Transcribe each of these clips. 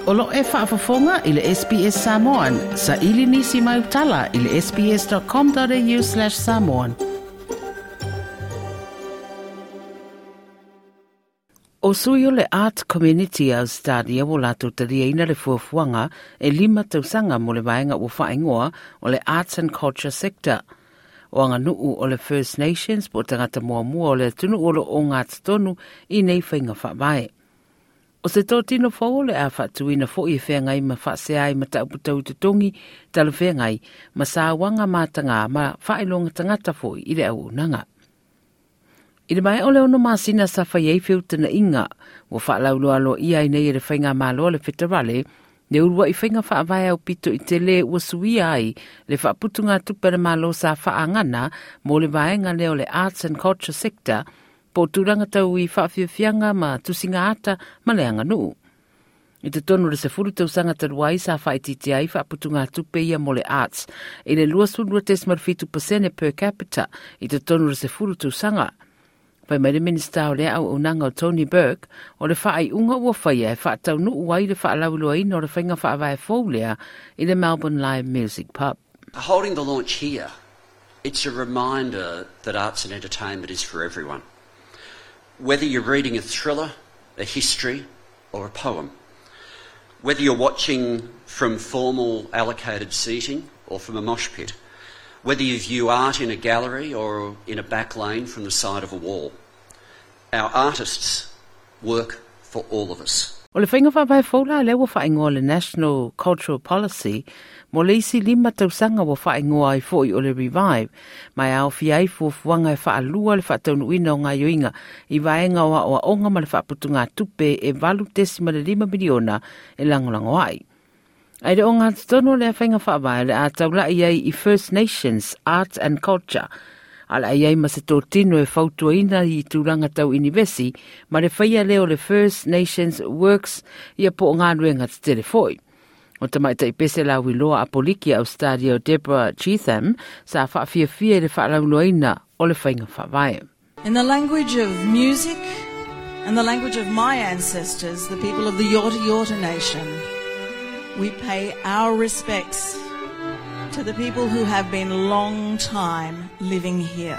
O lo e faafofoga i le SBS Samoan. Sa ili nisi mai utala i le sbs.com.au/samoan. O sui o le Art Community Australia ua latou taliaina le fuafuaga e 5 tausaga mo le vaega ua faaigoa o le Arts and Culture Sector. O aganuu o le First Nations po o tagata muamua o le atunuu o lo o gatotonu i nei faiga faavae. O se totino fou o le a faatuina foi e feagai ma faasea ai mataupu tau totogi talafeagai ma sauaga mataga ma faailoga tagata foi i le auaunaga. I le maea o le 6 masina sa fai ai feutana'iga ua faalauloa ia ai nei e le faigamalo a le feterale le ulua'i faiga faavae aupito i tele ua suia ai le faaputugatupe a le malo sa faagana mo le vaega lea o le Arts and Culture Sector po o tulaga tau i faafiafiaga ma tusiga ata ma le aganuu. I totonu o le 10 tausaga talu ai sa faaitiitia ai faaputugatupe ia mo le arts i le 22.7% per capita i totonu o le 10 tausaga. Fai mai le Minista o le Auaunaga o Tony Burke o le faaiuga ua faia e faataunuu ai le faalauiloaina o le faiga faavae fou lea i le Melbourne Live Music Pub. Holding the launch here, it's a reminder that arts and entertainment is for everyone. Whether you're reading a thriller, a history, or a poem, whether you're watching from formal allocated seating or from a mosh pit, whether you view art in a gallery or in a back lane from the side of a wall, our artists work for all of us. O le faiga faavae fou la lea ua faaigoa le National Cultural Policy mo le isi 5 tausaga ua faaigoa ai foi o le Revive, ma e aofia ai fuafuaga e faalua le faataunuuina o gaioiga i vaega o aoaoga ma le faaputugatupe e 8.5 miliona e lagolago ai. Ai le o gatotonu o lea faiga faavae le a taula'i ai i First Nations Arts and Culture, a le ai ai ma se totino e fautuaina i tulaga tau inivesi ma le faia lea o le First Nations Works ia po o galuega tetele foi. O tamaitai pese lauiloa apoliki a Australia o Deborah Cheetham sa faafiafia i le faalauloaina o le faiga faavae. In the language of music and the language of my ancestors, the people of the Yorta Yorta Nation, we pay our respects to the people who have been long time living here.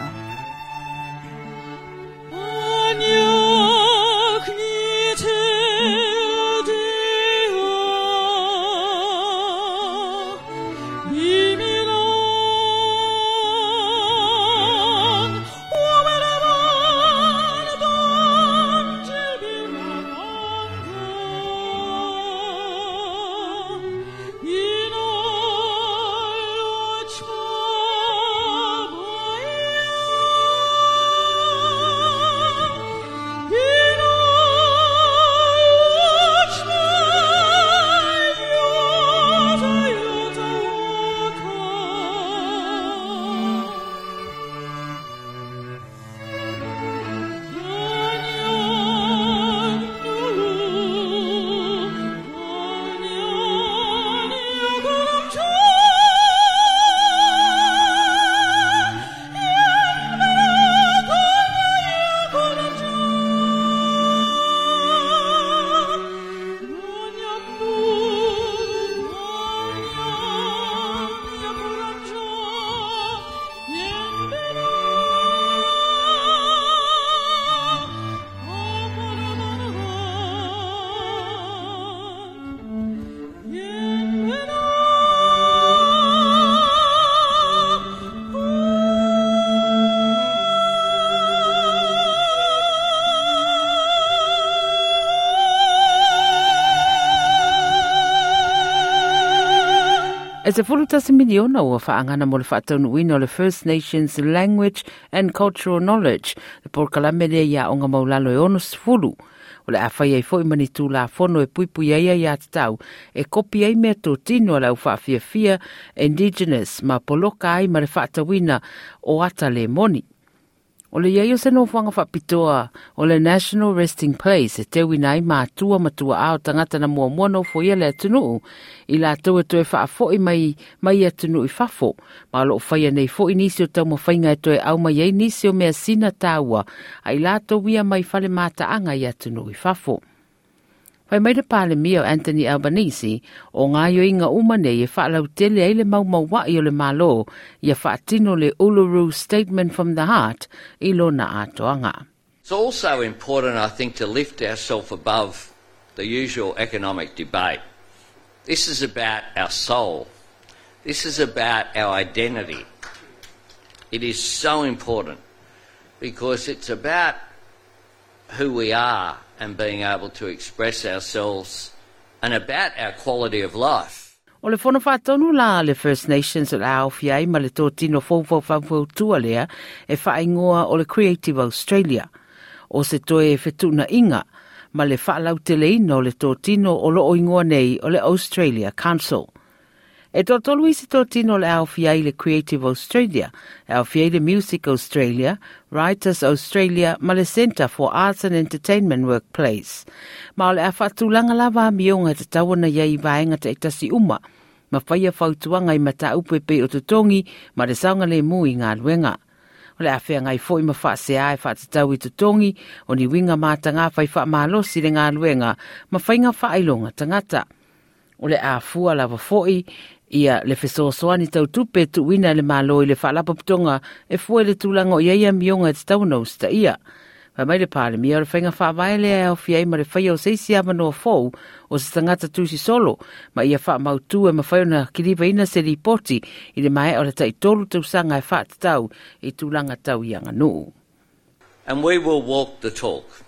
E 11 miliona ua faagana mo le faataunuuina o le First Nations Language and Cultural Knowledge, le polokalame lea ia aoga maulalo e 60. O le a fai ai foi ma ni tulafono e puipui ai ia tatau e kopi ai mea totino a le au faafiafia Indigenous ma poloka ai ma le faatauina o ata le moni. O le iai o se nofoaga faapitoa o le National Resting Place e teuina ai matua matua ao tagata na muamua nofo ia le atunuu i latou e toe faafo'i mai mai atunuu i fafo, ma o loo faia nei fo'i nisi o taumafaiga e toe au mai ai nisi o mea sina taua ai latou ia mai fale mataaga i atunuu i fafo. Fai mai le Palemia o Anthony Albanese, o gaoioiga uma nei e faalautele ai le maumaua'i o le Malo ia faatino le Uluru Statement from the Heart i lona atoaga. It's also important, I think, to lift ourselves above the usual economic debate. This is about our soul. This is about our identity. It is so important because it's about who we are and being able to express ourselves and about our quality of life. O le Fono Faatonu la a le First Nations o le a aofia ai ma le totino fou lea e faaigoa o le Creative Australia. O se toe fetuunaiga ma le faalauteleina o le totino o loo igoa nei o le Australia Council. E toatolu isi totino o le a aofia ai le Creative Australia, e aofia ai le Music Australia, Writers Australia ma le Centre for Arts and Entertainment Workplace. Ma o le a faatulaga lava amioga e tatau ona i ai i vaega taitasi uma, ma faia fautuaga i mataupu e pei o totogi ma le saogalemu i galuega. O le a feagai foi ma faasea e faatatau i totogi o ni uiga mataga fai faamalosi le galuega ma faiga faailoga tagata. O le a fua lava foi ia le fesoasoani tautupe tuuina e le Malo i le faalapotopotoga e fua i le tulaga o i ai amioga e tatau ona usitaia. Fai mai le Palemia o le faiga faavae lea e aofia ai ma le faia o se isi avanoa fou o se tagata tusi solo ma ia faamautu e mafai ona kilivaina se lipoti i le maea o le taitolu tausaga e faatatau i tulaga tau i aganuu. And we will walk the talk,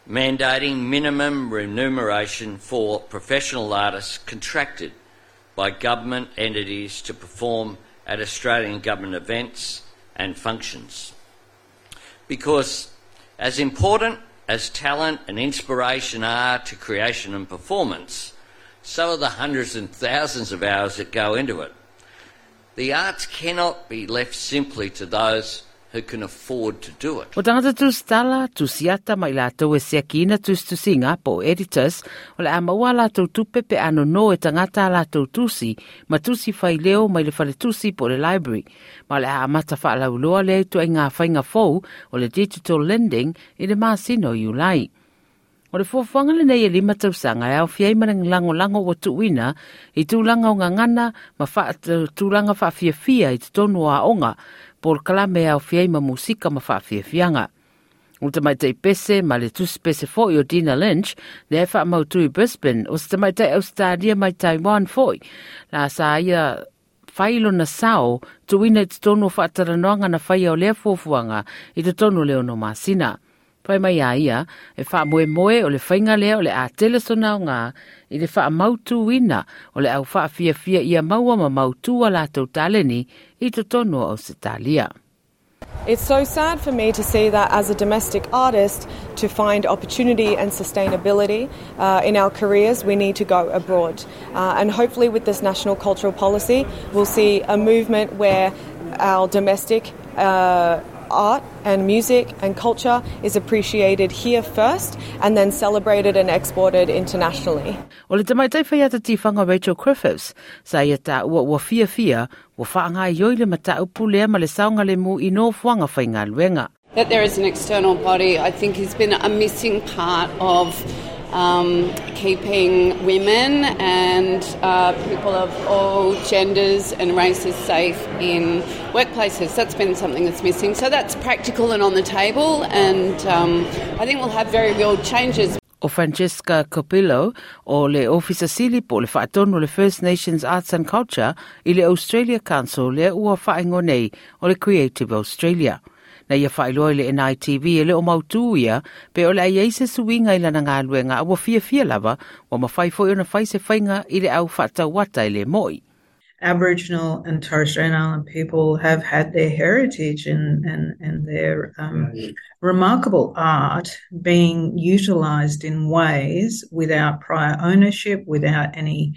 mandating minimum remuneration for professional artists contracted by government entities to perform at Australian government events and functions. Because as important as talent and inspiration are to creation and performance, so are the hundreds and thousands of hours that go into it. The arts cannot be left simply to those who can afford to do it. O tagata tusitala, tusiata ma i latou e siakiina tusitusiga po o editors, o le a maua a latou tupe pe a nono e tagata a latou tusi ma tusi faileo mai le faletusi po o le library. Ma o le a amata faalauiloa lea ituaiga faiga fou o le digital lending i le masina o Iulai. O le fuafuaga lenei e 5 tausaga e aofia ai ma le lagolago ua tuuina i tulaga o gagana ma tulaga faafiafia i totonu o aoga, polokalame e aofia ai ma musika ma faafiafiaga. O le tamaitai pese ma le tusi pese foi o Dina Lynch, lea e faamautu i Brisbane, o se tamaitai Ausetalia mai Taiwan foi, la sa ia fai lona sao tuuina i totonu o faatalanoaga na faia o lea fuafuaga i totonu o le 6 masina. Fai mai a ia, e faamoemoe o le faiga lea o le a tele sona aoga i le faamautuina o le au faafiafia ia maua ma mautu a latou taleni i totonu o Ausetalia. It's so sad for me to see that as a domestic artist, to find opportunity and sustainability in our careers, we need to go abroad. And hopefully with this national cultural policy, we'll see a movement where our domestic art and music and culture is appreciated here first and then celebrated and exported internationally. O le tamaitai faiata tifaga Rachel Griffiths, sa ia taua ua fiafia ua faagaoioi le mataupu lea ma le saogalemu i nofoaga faigaluega. That there is an external body, I think, has been a missing part of keeping women and people of all genders and races safe in workplaces. That's been something that's missing. So that's practical and on the table, and I think we'll have very real changes. O Francesca Copillo o le Ofisa Sili po o le Faatonu o le First Nations Arts and Culture i le Australia Council lea ua faaigoa nei o le Creative Australia. Na ia faailoa i le NITV e le o mautū ia pe o le a i ai se suiga i lana galuega a ua fiafia lava ua mafai foi ona fai se faiga i le au faatauata e le moi. Aboriginal and Torres Strait Island people have had their heritage and their remarkable art being utilised in ways without prior ownership, without any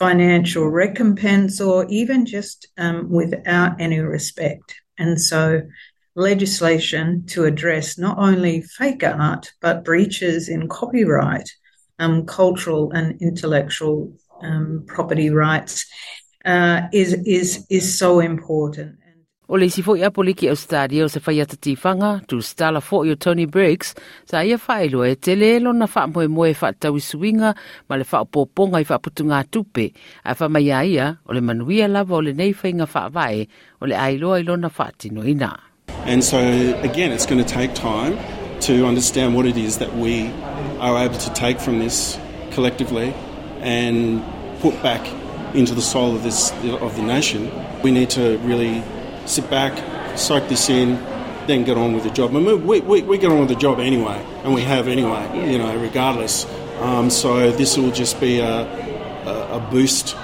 financial recompense, or even just without any respect. And so legislation to address not only fake art, but breaches in copyright, cultural and intellectual property rights is so important. O le isi fo'i Apoliki Ausetalia o se faiata tifaga, tusitala fo'i o Tony Briggs, sa ia faailoa e tele lona faamoemoe e faatatau i suiga ma le faaopoopoga i faaputugatupe, ae fai mai a ia o le manuia lava o lenei faiga faavae o le a iloa i lona faatinoina. And so again it's going to take time to understand what it is that we are able to take from this collectively and put back into the soul of this of the nation. We need to really sit back, soak this in, then get on with the job. I mean, we get on with the job anyway, and we have anyway, you know, regardless. So this will just be a boost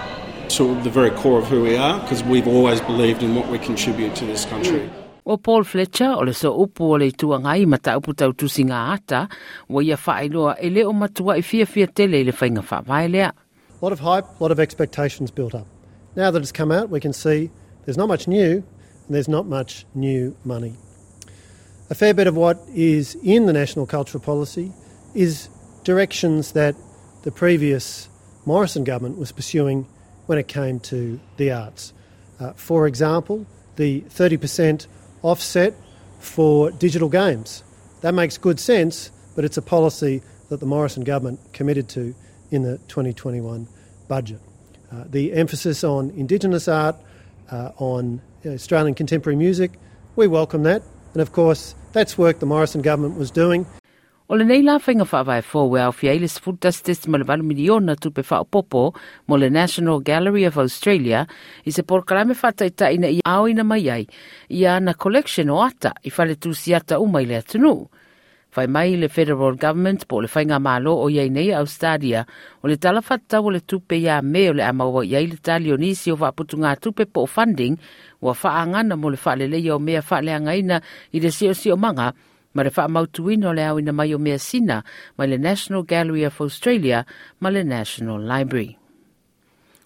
to the very core of who we are, because we've always believed in what we contribute to this country. O Paul Fletcher o le sooupu o le Itu Agai i mataupu tau tusiga ata, ua ia faailoa e le o matuai fiafia tele i le faiga faavae lea. A lot of hype, a lot of expectations built up. Now that it's come out, we can see there's not much new and there's not much new money. A fair bit of what is in the National Cultural Policy is directions that the previous Morrison government was pursuing when it came to the arts. For example, the 30% offset for digital games. That makes good sense, but it's a policy that the Morrison government committed to in the 2021 budget. The emphasis on Indigenous art, on Australian contemporary music, we welcome that. And of course, that's work the Morrison government was doing. O lenei la faiga faavae fou e aofia ai le 11.8 miliona tupe faaopoopo mo le National Gallery of Australia i se polokalame faataitai ina ia aoina mai ai ia ana collection o ata i fale tusiata uma i le atunuu. Fai mai le Federal Government po o le faigamalo o i ai nei Australia o le tala faatatau o le tupe ia Me o le a maua i ai le tali o nisi o faaputugatupe po o funding ua faaagana mo le faaleleia o mea faaleagaina i le siosiomaga ma le faamautuina o le aoina mai o measina mai le National Gallery of Australia ma le National Library.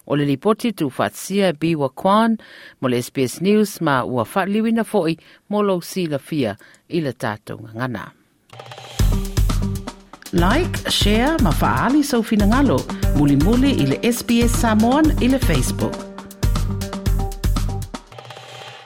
O le lipoti tuufaatasia e Biwa Kwan mo le SBS News ma ua faaliliuina foi mo lou silafia i le tatou gagana. Like, share ma faaali sou finagalo, mulimuli i le SBS Samoan i le Facebook.